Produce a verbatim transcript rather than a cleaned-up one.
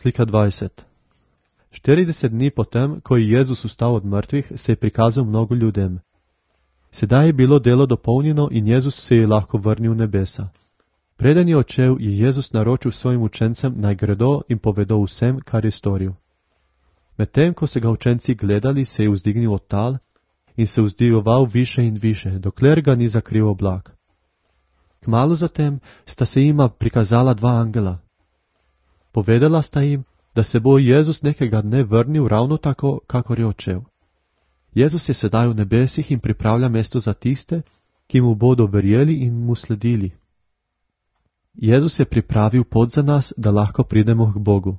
Slika dvajset. štirideset dni potem, ko je Jezus vstal od mrtvih, se je prikazal mnogo ljudem. Sedaj je bilo delo dopolnjeno in Jezus se je lahko vrnil v nebesa. Preden je odšel, je Jezus naročil svojim učencem, naj gredo in povedo vsem, kar je storil. Medtem, ko so ga učenci gledali, se je vzdignil od tal in se vzdigoval više in više, dokler ga ni zakril oblak. Kmalu zatem sta se jima prikazala dva angela. Povedala sta jim, da se bo Jezus nekega dne vrnil ravno tako, kakor je odšel. Jezus je sedaj v nebesih in pripravlja mesto za tiste, ki mu bodo verjeli in mu sledili. Jezus je pripravil pot za nas, da lahko pridemo k Bogu.